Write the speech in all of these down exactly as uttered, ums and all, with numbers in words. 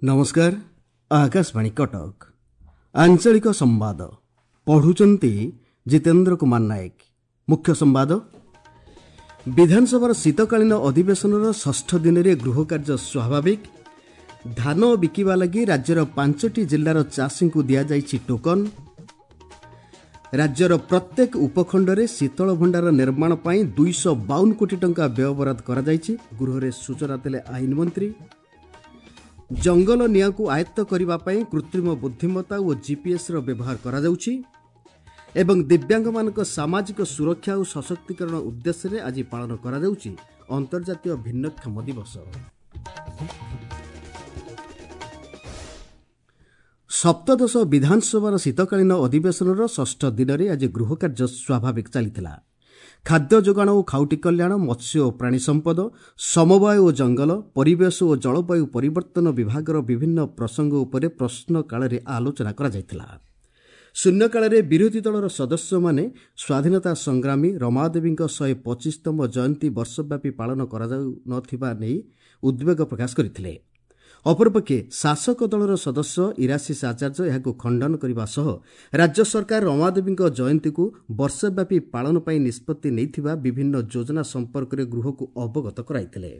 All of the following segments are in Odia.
ନମସ୍କାର, ଆକାଶବାଣୀ କଟକ। ଆଞ୍ଚଳିକ ସମ୍ବାଦ ପଢ଼ୁଛନ୍ତି ଜିତେନ୍ଦ୍ର କୁମାର ନାୟକ। ମୁଖ୍ୟ ସମ୍ବାଦ। ବିଧାନସଭାର ଶୀତକାଳୀନ ଅଧିବେଶନର ଷଷ୍ଠ ଦିନରେ ଗୃହକାର୍ଯ୍ୟ ସ୍ୱାଭାବିକ। ଧାନ ବିକିବା ଲାଗି ରାଜ୍ୟର ପାଞ୍ଚଟି ଜିଲ୍ଲାର ଚାଷୀଙ୍କୁ ଦିଆଯାଇଛି ଟୋକନ। ରାଜ୍ୟର ପ୍ରତ୍ୟେକ ଉପଖଣ୍ଡରେ ଶୀତଳ ଭଣ୍ଡାର ନିର୍ମାଣ ପାଇଁ ଦୁଇଶହ ବାଉନ କୋଟି ଟଙ୍କା ବ୍ୟୟବରାଦ କରାଯାଇଛି, ଗୃହରେ ସୂଚନା ଦେଲେ ଆଇନ ମନ୍ତ୍ରୀ। ଜଙ୍ଗଲ ନିଆଁକୁ ଆୟତ୍ତ କରିବା ପାଇଁ କୃତ୍ରିମ ବୁଦ୍ଧିମତ୍ତା ଓ ଜିପିଏସ୍ର ବ୍ୟବହାର କରାଯାଉଛି। ଏବଂ ଦିବ୍ୟାଙ୍ଗମାନଙ୍କ ସାମାଜିକ ସୁରକ୍ଷା ଓ ସଶକ୍ତିକରଣ ଉଦ୍ଦେଶ୍ୟରେ ଆଜି ପାଳନ କରାଯାଉଛି ଅନ୍ତର୍ଜାତୀୟ ଭିନ୍ନକ୍ଷମ ଦିବସ। ସପ୍ତଦଶ ବିଧାନସଭାର ଶୀତକାଳୀନ ଅଧିବେଶନର ଷଷ୍ଠ ଦିନରେ ଆଜି ଗୃହକାର୍ଯ୍ୟ ସ୍ୱାଭାବିକ ଚାଲିଥିଲା। ଖାଦ୍ୟ ଯୋଗାଣ ଓ ଖାଉଟି କଲ୍ୟାଣ, ମତ୍ସ୍ୟ ଓ ପ୍ରାଣୀ ସମ୍ପଦ, ସମବାୟ ଓ ଜଙ୍ଗଲ, ପରିବେଶ ଓ ଜଳବାୟୁ ପରିବର୍ତ୍ତନ ବିଭାଗର ବିଭିନ୍ନ ପ୍ରସଙ୍ଗ ଉପରେ ପ୍ରଶ୍ନକାଳରେ ଆଲୋଚନା କରାଯାଇଥିଲା। ଶୂନ୍ୟକାଳରେ ବିରୋଧୀ ଦଳର ସଦସ୍ୟମାନେ ସ୍ୱାଧୀନତା ସଂଗ୍ରାମୀ ରମାଦେବୀଙ୍କ ଶହେ ପଚିଶତମ ଜୟନ୍ତୀ ବର୍ଷବ୍ୟାପୀ ପାଳନ କରାଯାଉନଥିବା ନେଇ ଉଦ୍ବେଗ ପ୍ରକାଶ କରିଥିଲେ। ଅପରପକ୍ଷେ ଶାସକ ଦଳର ସଦସ୍ୟ ଇରାଶିଷ ଆଚାର୍ଯ୍ୟ ଏହାକୁ ଖଣ୍ଡନ କରିବା ସହ ରାଜ୍ୟ ସରକାର ରମାଦେବୀଙ୍କ ଜୟନ୍ତୀକୁ ବର୍ଷବ୍ୟାପୀ ପାଳନ ପାଇଁ ନିଷ୍ପତ୍ତି ନେଇଥିବା ବିଭିନ୍ନ ଯୋଜନା ସମ୍ପର୍କରେ ଗୃହକୁ ଅବଗତ କରାଇଥିଲେ।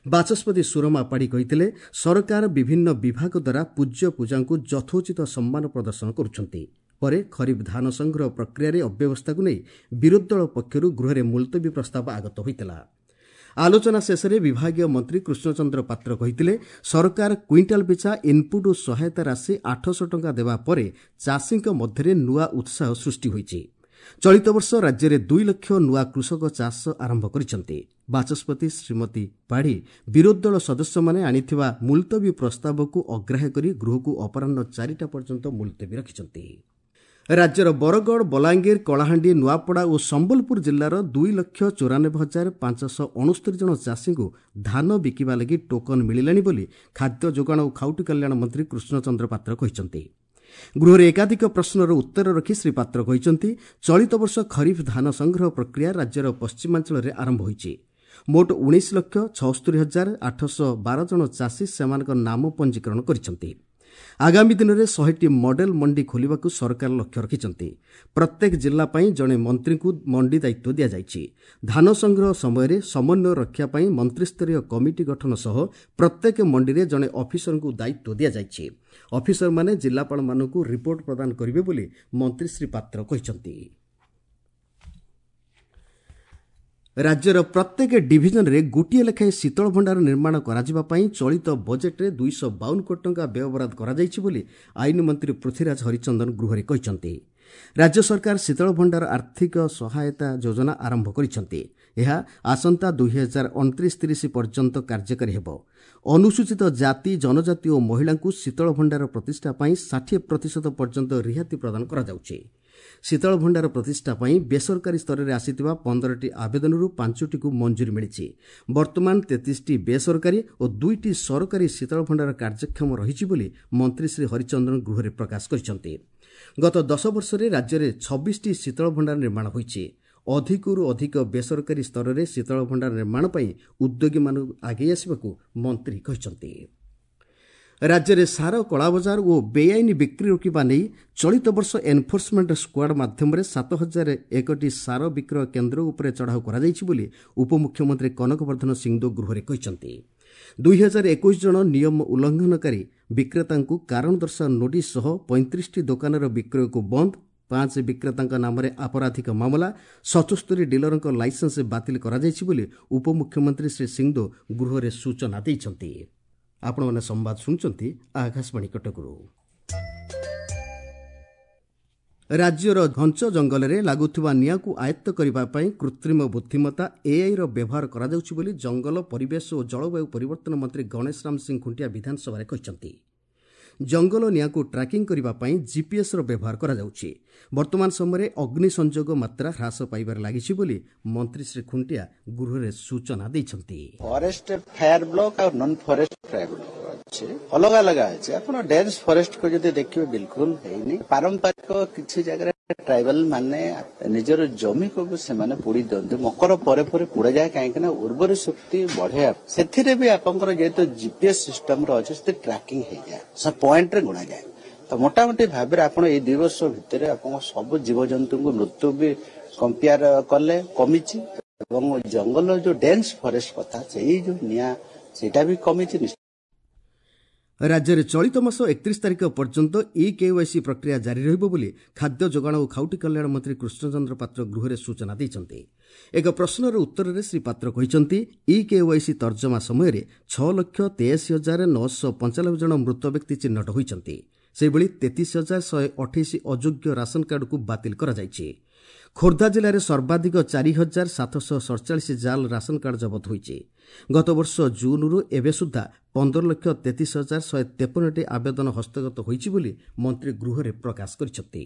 ବାଚସ୍ପତି ସୁରମା ପାଢ଼ୀ କହିଥିଲେ, ସରକାର ବିଭିନ୍ନ ବିଭାଗ ଦ୍ୱାରା ପୂଜ୍ୟ ପୂଜାଙ୍କୁ ଯଥୋଚିତ ସମ୍ମାନ ପ୍ରଦର୍ଶନ କରୁଛନ୍ତି। ପରେ ଖରିଫ ଧାନ ସଂଗ୍ରହ ପ୍ରକ୍ରିୟାରେ ଅବ୍ୟବସ୍ଥାକୁ ନେଇ ବିରୋଧୀ ଦଳ ପକ୍ଷରୁ ଗୃହରେ ମୁଲତବୀ ପ୍ରସ୍ତାବ ଆଗତ ହୋଇଥିଲା। ଆଲୋଚନା ଶେଷରେ ବିଭାଗୀୟ ମନ୍ତ୍ରୀ କୃଷ୍ଣଚନ୍ଦ୍ର ପାତ୍ର କହିଥିଲେ, ସରକାର କୁଇଣ୍ଟାଲ ପିଛା ଇନ୍ପୁଟ୍ ଓ ସହାୟତା ରାଶି ଆଠଶହ ଟଙ୍କା ଦେବା ପରେ ଚାଷୀଙ୍କ ମଧ୍ୟରେ ନୂଆ ଉତ୍ସାହ ସୃଷ୍ଟି ହୋଇଛି। ଚଳିତ ବର୍ଷ ରାଜ୍ୟରେ ଦୁଇ ଲକ୍ଷ ନୂଆ କୃଷକ ଚାଷ ଆରମ୍ଭ କରିଛନ୍ତି। ବାଚସ୍ପତି ଶ୍ରୀମତୀ ପାଢ଼ୀ ବିରୋଧୀ ଦଳ ସଦସ୍ୟମାନେ ଆଣିଥିବା ମୁଲତବୀ ପ୍ରସ୍ତାବକୁ ଅଗ୍ରାହ୍ୟ କରି ଗୃହକୁ ଅପରାହ୍ନ ଚାରିଟା ପର୍ଯ୍ୟନ୍ତ ମୁଲତବୀ ରଖିଛନ୍ତି। ରାଜ୍ୟର ବରଗଡ଼, ବଲାଙ୍ଗୀର, କଳାହାଣ୍ଡି, ନୂଆପଡ଼ା ଓ ସମ୍ବଲପୁର ଜିଲ୍ଲାର ଦୁଇ ଲକ୍ଷ ଚଉରାନବେ ହଜାର ପାଞ୍ଚଶହ ଅଣସ୍ତରୀ ଜଣ ଚାଷୀଙ୍କୁ ଧାନ ବିକିବା ଲାଗି ଟୋକନ ମିଳିଲାଣି ବୋଲି ଖାଦ୍ୟ ଯୋଗାଣ ଓ ଖାଉଟି କଲ୍ୟାଣ ମନ୍ତ୍ରୀ କୃଷ୍ଣଚନ୍ଦ୍ର ପାତ୍ର କହିଛନ୍ତି। ଗୃହରେ ଏକାଧିକ ପ୍ରଶ୍ନର ଉତ୍ତର ରଖି ଶ୍ରୀ ପାତ୍ର କହିଛନ୍ତି, ଚଳିତ ବର୍ଷ ଖରିଫ ଧାନ ସଂଗ୍ରହ ପ୍ରକ୍ରିୟା ରାଜ୍ୟର ପଶ୍ଚିମାଞ୍ଚଳରେ ଆରମ୍ଭ ହୋଇଛି। ମୋଟ ଉଣେଇଶ ଲକ୍ଷ ଛଅସ୍ତରୀ ହଜାର ଆଠଶହ ବାର ଜଣ ଚାଷୀ ସେମାନଙ୍କ ନାମ ପଞ୍ଜୀକରଣ କରିଛନ୍ତି। ଆଗାମୀ ଦିନରେ ଶହେଟି ମଡେଲ ମଣ୍ଡି ଖୋଲିବାକୁ ସରକାର ଲକ୍ଷ୍ୟ ରଖିଛନ୍ତି। ପ୍ରତ୍ୟେକ ଜିଲ୍ଲା ପାଇଁ ଜଣେ ମନ୍ତ୍ରୀଙ୍କୁ ମଣ୍ଡି ଦାୟିତ୍ୱ ଦିଆଯାଇଛି। ଧାନ ସଂଗ୍ରହ ସମୟରେ ସମନ୍ୱୟ ରକ୍ଷା ପାଇଁ ମନ୍ତ୍ରିସ୍ତରୀୟ କମିଟି ଗଠନ ସହ ପ୍ରତ୍ୟେକ ମଣ୍ଡିରେ ଜଣେ ଅଫିସରଙ୍କୁ ଦାୟିତ୍ୱ ଦିଆଯାଇଛି। ଅଫିସରମାନେ ଜିଲ୍ଲାପାଳମାନଙ୍କୁ ରିପୋର୍ଟ ପ୍ରଦାନ କରିବେ ବୋଲି ମନ୍ତ୍ରୀ ଶ୍ରୀ ପାତ୍ର କହିଛନ୍ତି। ରାଜ୍ୟର ପ୍ରତ୍ୟେକ ଡିଭିଜନରେ ଗୋଟିଏ ଲେଖାଏଁ ଶୀତଳ ଭଣ୍ଡାର ନିର୍ମାଣ କରାଯିବା ପାଇଁ ଚଳିତ ବଜେଟ୍ରେ ଦୁଇଶହ ବାଉନ କୋଟି ଟଙ୍କା ବ୍ୟୟବରାଦ କରାଯାଇଛି ବୋଲି ଆଇନ ମନ୍ତ୍ରୀ ପୃଥ୍ୱୀରାଜ ହରିଚନ୍ଦନ ଗୃହରେ କହିଛନ୍ତି। ରାଜ୍ୟ ସରକାର ଶୀତଳ ଭଣ୍ଡାର ଆର୍ଥିକ ସହାୟତା ଯୋଜନା ଆରମ୍ଭ କରିଛନ୍ତି। ଏହା ଆସନ୍ତା ଦୁଇ ହଜାର ଅଣତିରିଶ ତିରିଶ ପର୍ଯ୍ୟନ୍ତ କାର୍ଯ୍ୟକାରୀ ହେବ। ଅନୁସୂଚିତ ଜାତି, ଜନଜାତି ଓ ମହିଳାଙ୍କୁ ଶୀତଳ ଭଣ୍ଡାର ପ୍ରତିଷ୍ଠା ପାଇଁ ଷାଠିଏ ପ୍ରତିଶତ ପର୍ଯ୍ୟନ୍ତ ରିହାତି ପ୍ରଦାନ କରାଯାଉଛି। ଶୀତଳ ଭଣ୍ଡାର ପ୍ରତିଷ୍ଠା ପାଇଁ ବେସରକାରୀ ସ୍ତରରେ ଆସିଥିବା ପନ୍ଦରଟି ଆବେଦନରୁ ପାଞ୍ଚଟିକୁ ମଞ୍ଜୁରୀ ମିଳିଛି। ବର୍ତ୍ତମାନ ତେତିଶଟି ବେସରକାରୀ ଓ ଦୁଇଟି ସରକାରୀ ଶୀତଳ ଭଣ୍ଡାର କାର୍ଯ୍ୟକ୍ଷମ ରହିଛି ବୋଲି ମନ୍ତ୍ରୀ ଶ୍ରୀ ହରିଚନ୍ଦନ ଗୃହରେ ପ୍ରକାଶ କରିଛନ୍ତି। ଗତ ଦଶ ବର୍ଷରେ ରାଜ୍ୟରେ ଛବିଶଟି ଶୀତଳ ଭଣ୍ଡାର ନିର୍ମାଣ ହୋଇଛି। ଅଧିକରୁ ଅଧିକ ବେସରକାରୀ ସ୍ତରରେ ଶୀତଳ ଭଣ୍ଡାର ନିର୍ମାଣ ପାଇଁ ଉଦ୍ୟୋଗୀମାନଙ୍କୁ ଆଗେଇ ଆସିବାକୁ ମନ୍ତ୍ରୀ କହିଛନ୍ତି। ରାଜ୍ୟରେ ସାର କଳାବଜାର ଓ ବେଆଇନ ବିକ୍ରି ରୋକିବା ନେଇ ଚଳିତ ବର୍ଷ ଏନ୍ଫୋର୍ସମେଣ୍ଟ ସ୍କ୍ୱାଡ୍ ମାଧ୍ୟମରେ ସାତ ହଜାର ଏକଟି ସାର ବିକ୍ରୟ କେନ୍ଦ୍ର ଉପରେ ଚଢ଼ାଉ କରାଯାଇଛି ବୋଲି ଉପମୁଖ୍ୟମନ୍ତ୍ରୀ କନକ ବର୍ଦ୍ଧନ ସିଂଦେଓ ଗୃହରେ କହିଛନ୍ତି। ଦୁଇ ହଜାର ଏକୋଇଶ ଜଣ ନିୟମ ଉଲ୍ଲଂଘନକାରୀ ବିକ୍ରେତାଙ୍କୁ କାରଣ ଦର୍ଶାଅ ନୋଟିସ୍ ସହ ପଇଁତିରିଶଟି ଦୋକାନର ବିକ୍ରୟକୁ ବନ୍ଦ, ପାଞ୍ଚ ବିକ୍ରେତାଙ୍କ ନାମରେ ଆପରାଧିକ ମାମଲା, ସତସ୍ତରୀ ଡିଲରଙ୍କ ଲାଇସେନ୍ସ ବାତିଲ କରାଯାଇଛି ବୋଲି ଉପମୁଖ୍ୟମନ୍ତ୍ରୀ ଶ୍ରୀ ସିଂଦେଓ ଗୃହରେ ସୂଚନା ଦେଇଛନ୍ତି। ଆପଣମାନେ ସମ୍ବାଦ ଶୁଣୁଛନ୍ତି ଆକାଶବାଣୀ କଟକରୁ। ରାଜ୍ୟର ଘଞ୍ଚ ଜଙ୍ଗଲରେ ଲାଗୁଥିବା ନିଆଁକୁ ଆୟତ୍ତ କରିବା ପାଇଁ କୃତ୍ରିମ ବୁଦ୍ଧିମତ୍ତା ଏଆଇର ବ୍ୟବହାର କରାଯାଉଛି ବୋଲି ଜଙ୍ଗଲ, ପରିବେଶ ଓ ଜଳବାୟୁ ପରିବର୍ତ୍ତନ ମନ୍ତ୍ରୀ ଗଣେଶ ରାମ ସିଂ ଖୁଣ୍ଟିଆ ବିଧାନସଭାରେ କହିଛନ୍ତି। ଜଙ୍ଗଲ ନିଆଁକୁ ଟ୍ରାକିଂ କରିବା ପାଇଁ ଜିପିଏସ୍ର ବ୍ୟବହାର କରାଯାଉଛି। ବର୍ତ୍ତମାନ ସମୟରେ ଅଗ୍ନି ସଂଯୋଗ ମାତ୍ରା ହ୍ରାସ ପାଇବାରେ ଲାଗିଛି ବୋଲି ମନ୍ତ୍ରୀ ଶ୍ରୀ ଖୁଣ୍ଟିଆ ଗୃହରେ ସୂଚନା ଦେଇଛନ୍ତି। ଫରେଷ୍ଟ ଫାୟାର ବ୍ଲକ ଆଉ ନନ୍ ଫରେଷ୍ଟ ଫାୟାର ବ୍ଲକ। ଅଛି, ଅଲଗା ଅଲଗା ଅଛି। ଆପଣ ଡେନ୍ସ ଫରେଷ୍ଟକୁ ଯଦି ଦେଖିବେ ବିଲକୁଲ ହେଇନି। ପାରମ୍ପରିକ କିଛି ଜାଗାରେ ଟ୍ରାଇବାଲ ମାନେ ନିଜର ଜମିକୁ ବି ସେମାନେ ପୋଡି ଦିଅନ୍ତି, ମକର ପରେ ପରେ ପୋଡାଯାଏ, କାହିଁକି ନା ଉର୍ବର ଶକ୍ତି ବଢେଇବା। ସେଥିରେ ବି ଆପଣଙ୍କର ଯେହେତୁ ଜିପିଏସ୍ ସିଷ୍ଟମର ଅଛି, ସେଥିରେ ଟ୍ରାକିଂ ହେଇଯାଏ, ସେ ପଏଣ୍ଟରେ ଗଣାଯାଏ। ତ ମୋଟାମୋଟି ଭାବରେ ଆପଣ ଏଇ ଦୁଇ ବର୍ଷ ଭିତରେ ଆପଣଙ୍କ ସବୁ ଜୀବଜନ୍ତୁଙ୍କୁ ମୃତ୍ୟୁ ବି କମ୍ପେୟାର କଲେ କମିଛି, ଏବଂ ଜଙ୍ଗଲ ଯୋଉ ଡେନ୍ସ ଫରେଷ୍ଟ କଥା, ସେଇ ଯୋଉ ନିଆଁ ସେଇଟା ବି କମିଛି। ରାଜ୍ୟରେ ଚଳିତ ମାସ ଏକତିରିଶ ତାରିଖ ପର୍ଯ୍ୟନ୍ତ ଇ କେୱାଇସି ପ୍ରକ୍ରିୟା ଜାରି ରହିବ ବୋଲି ଖାଦ୍ୟ ଯୋଗାଣ ଓ ଖାଉଟି କଲ୍ୟାଣ ମନ୍ତ୍ରୀ କୃଷ୍ଣଚନ୍ଦ୍ର ପାତ୍ର ଗୃହରେ ସୂଚନା ଦେଇଛନ୍ତି। ଏକ ପ୍ରଶ୍ନର ଉତ୍ତରରେ ଶ୍ରୀ ପାତ୍ର କହିଛନ୍ତି, ଇ କେୱାଇସି ତର୍ଜମା ସମୟରେ ଛଅ ଲକ୍ଷ ତେୟାଅଶୀ ହଜାର ନଅଶହ ପଞ୍ଚାନବେ ଜଣ ମୃତ ବ୍ୟକ୍ତି ଚିହ୍ନଟ ହୋଇଛନ୍ତି। ସେହିଭଳି ତେତିଶ ହଜାର ଶହେ ଅଠେଇଶ ଅଯୋଗ୍ୟ ରାସନ କାର୍ଡକୁ ବାତିଲ କରାଯାଇଛି। ଖୋର୍ଦ୍ଧା ଜିଲ୍ଲାରେ ସର୍ବାଧିକ ଚାରି ହଜାର ସାତଶହ ସଡ଼ଚାଳିଶ ଜାଲ୍ ରାସନ କାର୍ଡ ଜବତ ହୋଇଛି। ଗତବର୍ଷ ଜୁନ୍ରୁ ଏବେ ସୁଦ୍ଧା ପନ୍ଦର ଲକ୍ଷ ତେତିଶ ହଜାର ଶହେ ତେପନଟି ଆବେଦନ ହସ୍ତଗତ ହୋଇଛି ବୋଲି ମନ୍ତ୍ରୀ ଗୃହରେ ପ୍ରକାଶ କରିଛନ୍ତି।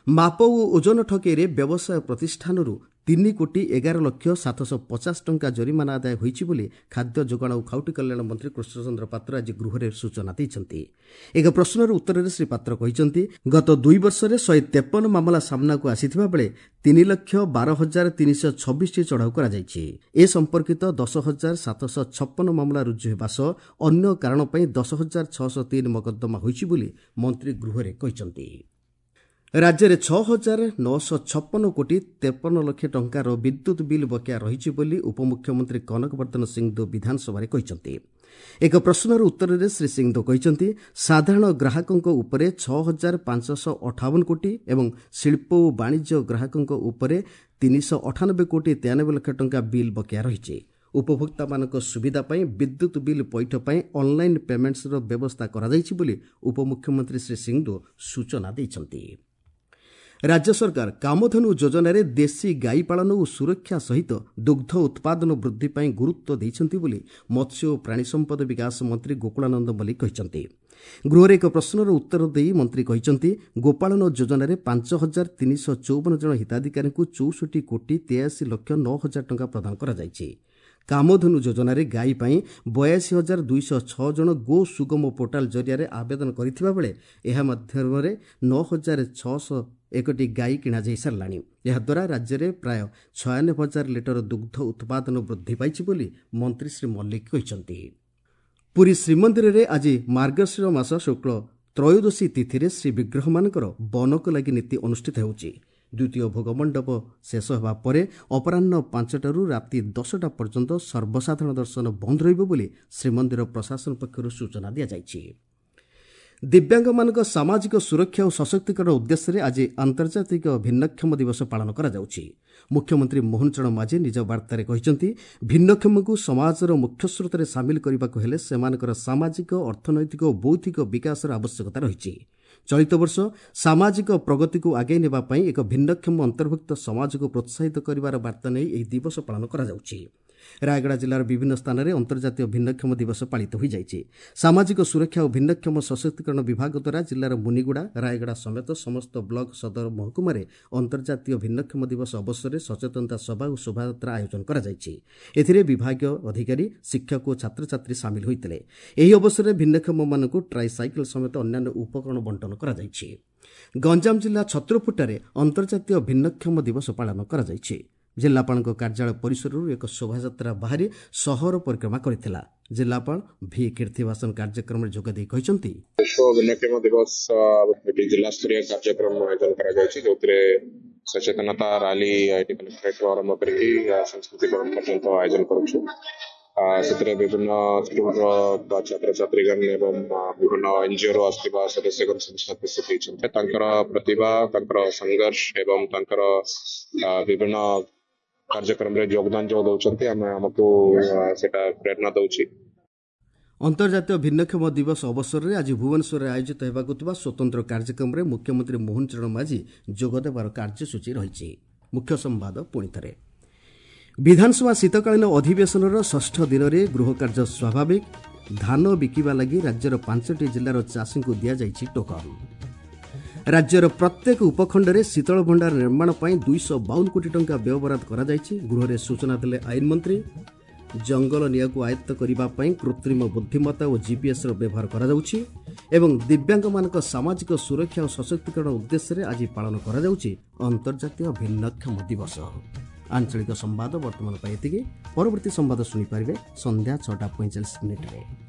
ମାପ ଓ ଓଜନ ଠକେଇରେ ବ୍ୟବସାୟ ପ୍ରତିଷ୍ଠାନରୁ ତିନି କୋଟି ଏଗାର ଲକ୍ଷ ସାତଶହ ପଚାଶ ଟଙ୍କା ଜରିମାନା ଆଦାୟ ହୋଇଛି ବୋଲି ଖାଦ୍ୟ ଯୋଗାଣ ଓ ଖାଉଟି କଲ୍ୟାଣ ମନ୍ତ୍ରୀ କୃଷ୍ଣଚନ୍ଦ୍ର ପାତ୍ର ଆଜି ଗୃହରେ ସୂଚନା ଦେଇଛନ୍ତି। ଏକ ପ୍ରଶ୍ନର ଉତ୍ତରରେ ଶ୍ରୀ ପାତ୍ର କହିଛନ୍ତି, ଗତ ଦୁଇ ବର୍ଷରେ ଶହେ ତେପନ ମାମଲା ସାମ୍ନାକୁ ଆସିଥିବା ବେଳେ ତିନି ଲକ୍ଷ ବାର ହଜାର ତିନିଶହ ଛବିଶଟି ଚଢ଼ାଉ କରାଯାଇଛି। ଏ ସମ୍ପର୍କିତ ଦଶ ହଜାର ସାତଶହ ଛପନ ମାମଲା ରୁଜୁ ହେବା ସହ ଅନ୍ୟ କାରଣ ପାଇଁ ଦଶ ହଜାର ଛଅଶହ ତିନି ମକଦ୍ଦମା ହୋଇଛି ବୋଲି ମନ୍ତ୍ରୀ ଗୃହରେ କହିଛନ୍ତି। ରାଜ୍ୟରେ ଛଅ ହଜାର ନଅଶହ ଛପନ କୋଟି ତେପନ ଲକ୍ଷ ଟଙ୍କାର ବିଦ୍ୟୁତ୍ ବିଲ୍ ବକେୟା ରହିଛି ବୋଲି ଉପମୁଖ୍ୟମନ୍ତ୍ରୀ କନକ ବର୍ଦ୍ଧନ ସିଂଦେଓ ବିଧାନସଭାରେ କହିଛନ୍ତି। ଏକ ପ୍ରଶ୍ନର ଉତ୍ତରରେ ଶ୍ରୀ ସିଂଦେଓ କହିଛନ୍ତି, ସାଧାରଣ ଗ୍ରାହକଙ୍କ ଉପରେ ଛଅ ହଜାର ପାଞ୍ଚଶହ ଅଠାବନ କୋଟି ଏବଂ ଶିଳ୍ପ ଓ ବାଣିଜ୍ୟ ଗ୍ରାହକଙ୍କ ଉପରେ ତିନିଶହ ଅଠାନବେ କୋଟି ତେୟାନବେ ଲକ୍ଷ ଟଙ୍କା ବିଲ୍ ବକେୟା ରହିଛି। ଉପଭୋକ୍ତାମାନଙ୍କ ସୁବିଧା ପାଇଁ ବିଦ୍ୟୁତ୍ ବିଲ୍ ପଇଠ ପାଇଁ ଅନ୍ଲାଇନ୍ ପେମେଣ୍ଟସର ବ୍ୟବସ୍ଥା କରାଯାଇଛି ବୋଲି ଉପମୁଖ୍ୟମନ୍ତ୍ରୀ ଶ୍ରୀ ସିଂଦେଓ ସୂଚନା ଦେଇଛନ୍ତି। ରାଜ୍ୟ ସରକାର କାମଧେନୁ ଯୋଜନାରେ ଦେଶୀ ଗାଈ ପାଳନ ଓ ସୁରକ୍ଷା ସହିତ ଦୁଗ୍ଧ ଉତ୍ପାଦନ ବୃଦ୍ଧି ପାଇଁ ଗୁରୁତ୍ୱ ଦେଇଛନ୍ତି ବୋଲି ମତ୍ସ୍ୟ ଓ ପ୍ରାଣୀ ସମ୍ପଦ ବିକାଶ ମନ୍ତ୍ରୀ ଗୋକୁଳାନନ୍ଦ ମଲ୍ଲିକ କହିଛନ୍ତି। ଗୃହରେ ଏକ ପ୍ରଶ୍ନର ଉତ୍ତର ଦେଇ ମନ୍ତ୍ରୀ କହିଛନ୍ତି, ଗୋପାଳନ ଯୋଜନାରେ ପାଞ୍ଚ ହଜାର ତିନିଶହ ଚଉବନ ଜଣ ହିତାଧିକାରୀଙ୍କୁ ଚଉଷଠି କୋଟି ତେୟାଅଶୀ ଲକ୍ଷ ନଅ ହଜାର ଟଙ୍କା ପ୍ରଦାନ କରାଯାଇଛି। କାମଧେନୁ ଯୋଜନାରେ ଗାଈ ପାଇଁ ବୟାଅଶୀ ହଜାର ଦୁଇଶହ ଛଅ ଜଣ ଗୋ ସୁଗମ ପୋର୍ଟାଲ ଜରିଆରେ ଆବେଦନ କରିଥିବା ବେଳେ ଏହା ମାଧ୍ୟମରେ ନଅ ହଜାର ଛଅଶହ ଏକଟି ଗାଈ କିଣାଯାଇ ସାରିଲାଣି। ଏହାଦ୍ୱାରା ରାଜ୍ୟରେ ପ୍ରାୟ ଛୟାନବେ ହଜାର ଲିଟର ଦୁଗ୍ଧ ଉତ୍ପାଦନ ବୃଦ୍ଧି ପାଇଛି ବୋଲି ମନ୍ତ୍ରୀ ଶ୍ରୀ ମଲ୍ଲିକ କହିଛନ୍ତି। ପୁରୀ ଶ୍ରୀମନ୍ଦିରରେ ଆଜି ମାର୍ଗଶିର ମାସ ଶୁକ୍ଳ ତ୍ରୟୋଦଶୀ ତିଥିରେ ଶ୍ରୀବିଗ୍ରହମାନଙ୍କର ବନକ ଲାଗି ନୀତି ଅନୁଷ୍ଠିତ ହେଉଛି। ଦ୍ୱିତୀୟ ଭୋଗମଣ୍ଡପ ଶେଷ ହେବା ପରେ ଅପରାହ୍ନ ପାଞ୍ଚଟାରୁ ରାତି ଦଶଟା ପର୍ଯ୍ୟନ୍ତ ସର୍ବସାଧାରଣ ଦର୍ଶନ ବନ୍ଦ ରହିବ ବୋଲି ଶ୍ରୀମନ୍ଦିର ପ୍ରଶାସନ ପକ୍ଷରୁ ସୂଚନା ଦିଆଯାଇଛି। ଦିବ୍ୟାଙ୍ଗମାନଙ୍କ ସାମାଜିକ ସୁରକ୍ଷା ଓ ସଶକ୍ତିକରଣ ଉଦ୍ଦେଶ୍ୟରେ ଆଜି ଆନ୍ତର୍ଜାତିକ ଭିନ୍ନକ୍ଷମ ଦିବସ ପାଳନ କରାଯାଉଛି। ମୁଖ୍ୟମନ୍ତ୍ରୀ ମୋହନ ଚରଣ ମାଝୀ ନିଜ ବାର୍ତ୍ତାରେ କହିଛନ୍ତି, ଭିନ୍ନକ୍ଷମଙ୍କୁ ସମାଜର ମୁଖ୍ୟସ୍ରୋତରେ ସାମିଲ କରିବାକୁ ହେଲେ ସେମାନଙ୍କର ସାମାଜିକ, ଅର୍ଥନୈତିକ ଓ ବୌଦ୍ଧିକ ବିକାଶର ଆବଶ୍ୟକତା ରହିଛି। ଚଳିତ ବର୍ଷ ସାମାଜିକ ପ୍ରଗତିକୁ ଆଗେଇ ନେବା ପାଇଁ ଏକ ଭିନ୍ନକ୍ଷମ ଅନ୍ତର୍ଭୁକ୍ତ ସମାଜକୁ ପ୍ରୋତ୍ସାହିତ କରିବାର ବାର୍ତ୍ତା ନେଇ ଏହି ଦିବସ ପାଳନ କରାଯାଉଛି। ରାୟଗଡ଼ା ଜିଲ୍ଲାର ବିଭିନ୍ନ ସ୍ଥାନରେ ଅନ୍ତର୍ଜାତୀୟ ଭିନ୍ନକ୍ଷମ ଦିବସ ପାଳିତ ହୋଇଯାଇଛି। ସାମାଜିକ ସୁରକ୍ଷା ଓ ଭିନ୍ନକ୍ଷମ ସଶକ୍ତିକରଣ ବିଭାଗ ଦ୍ୱାରା ଜିଲ୍ଲାର ମୁନିଗୁଡ଼ା, ରାୟଗଡ଼ା ସମେତ ସମସ୍ତ ବ୍ଲକ ସଦର ମହକୁମାରେ ଅନ୍ତର୍ଜାତୀୟ ଭିନ୍ନକ୍ଷମ ଦିବସ ଅବସରରେ ସଚେତନତା ସଭା ଓ ଶୋଭାଯାତ୍ରା ଆୟୋଜନ କରାଯାଇଛି। ଏଥିରେ ବିଭାଗୀୟ ଅଧିକାରୀ, ଶିକ୍ଷକ ଓ ଛାତ୍ରଛାତ୍ରୀ ସାମିଲ ହୋଇଥିଲେ। ଏହି ଅବସରରେ ଭିନ୍ନକ୍ଷମମାନଙ୍କୁ ଟ୍ରାଇସାଇକେଲ ସମେତ ଅନ୍ୟାନ୍ୟ ଉପକରଣ ବଣ୍ଟନ କରାଯାଇଛି। ଗଞ୍ଜାମ ଜିଲ୍ଲା ଛତ୍ରପୁରଠାରେ ଅନ୍ତର୍ଜାତୀୟ ଭିନ୍ନକ୍ଷମ ଦିବସ ପାଳନ କରାଯାଇଛି। ଜିଲ୍ଲାପାଳଙ୍କ କାର୍ଯ୍ୟାଳୟ ପରିସରରୁ ଏକ ଶୋଭାଯାତ୍ରା ବାହାରି ସହର ପରିକ୍ରମା କରିଥିଲା। ଜିଲ୍ଲାପାଳ ଭି କୀର୍ତ୍ତିବାସନ କାର୍ଯ୍ୟକ୍ରମରେ ଯୋଗଦେଇ କହିଛନ୍ତି, ବିଶ୍ୱ ଭିନ୍ନକ୍ଷମ ଦିବସ ଏଠି ଜିଲ୍ଲାସ୍ତରୀୟ କାର୍ଯ୍ୟକ୍ରମ ଆୟୋଜନ କରାଯାଉଛି, ଯେଉଁଥିରେ ସଚେତନତା ରାଲି ଏଠି କଲେକ୍ଟରେଟରୁ ଆରମ୍ଭ କରିକି ସଂସ୍କୃତି ଭବନ ପର୍ଯ୍ୟନ୍ତ ଆୟୋଜନ କରୁଛୁ। ସେଥିରେ ବିଭିନ୍ନ ସ୍କୁଲର ଛାତ୍ରଛାତ୍ରୀଗଣ ଏବଂ ବିଭିନ୍ନ ଏନଜିଓରୁ ଆସିଥିବା ସଦସ୍ୟଗଣ ସମସ୍ତେ ଉପସ୍ଥିତ ହେଇଛନ୍ତି। ତାଙ୍କର ପ୍ରତିଭା, ତାଙ୍କର ସଂଘର୍ଷ ଏବଂ ତାଙ୍କର ବିଭିନ୍ନ କାର୍ଯ୍ୟକ୍ରମରେ ଯୋଗଦାନ ଯୋଉ ଦଉଛନ୍ତି, ଆମେ ଆମକୁ ସେଟା ପ୍ରେରଣା ଦଉଛି। ଅନ୍ତର୍ଜାତୀୟ ଭିନ୍ନକ୍ଷମ ଦିବସ ଅବସରରେ ଆଜି ଭୁବନେଶ୍ୱରରେ ଆୟୋଜିତ ହେବାକୁ ଥିବା ସ୍ୱତନ୍ତ୍ର କାର୍ଯ୍ୟକ୍ରମରେ ମୁଖ୍ୟମନ୍ତ୍ରୀ ମୋହନ ଚରଣ ମାଝୀ ଯୋଗଦେବାର କାର୍ଯ୍ୟସୂଚୀ ରହିଛି। ମୁଖ୍ୟ ସମ୍ବାଦ ପୁଣିଥରେ। ବିଧାନସଭା ଶୀତକାଳୀନ ଅଧିବେଶନର ଷଷ୍ଠ ଦିନରେ ଗୃହ କାର୍ଯ୍ୟ ସ୍ୱାଭାବିକ। ଧାନ ବିକିବା ଲାଗି ରାଜ୍ୟର ପାଞ୍ଚଟି ଜିଲ୍ଲାର ଚାଷୀଙ୍କୁ ଦିଆଯାଇଛି ଟୋକନ। ରାଜ୍ୟର ପ୍ରତ୍ୟେକ ଉପଖଣ୍ଡରେ ଶୀତଳ ଭଣ୍ଡାର ନିର୍ମାଣ ପାଇଁ ଦୁଇଶହ ବାଉନ କୋଟି ଟଙ୍କା ବ୍ୟୟବରାଦ କରାଯାଇଛି, ଗୃହରେ ସୂଚନା ଦେଲେ ଆଇନ ମନ୍ତ୍ରୀ। ଜଙ୍ଗଲ ନିଆଁକୁ ଆୟତ୍ତ କରିବା ପାଇଁ କୃତ୍ରିମ ବୁଦ୍ଧିମତ୍ତା ଓ ଜିପିଏସ୍ର ବ୍ୟବହାର କରାଯାଉଛି ଏବଂ ଦିବ୍ୟାଙ୍ଗମାନଙ୍କ ସାମାଜିକ ସୁରକ୍ଷା ଓ ସଶକ୍ତିକରଣ ଉଦ୍ଦେଶ୍ୟରେ ଆଜି ପାଳନ କରାଯାଉଛି ଅନ୍ତର୍ଜାତୀୟ ଭିନ୍ନକ୍ଷମ ଦିବସ। ଆଞ୍ଚଳିକ ସମ୍ବାଦ ବର୍ତ୍ତମାନ ପାଇଁ ଏତିକି। ପରବର୍ତ୍ତୀ ସମ୍ବାଦ ଶୁଣିପାରିବେ ସନ୍ଧ୍ୟା ଛଅଟା ପଇଁଚାଳିଶ ମିନିଟ୍ରେ।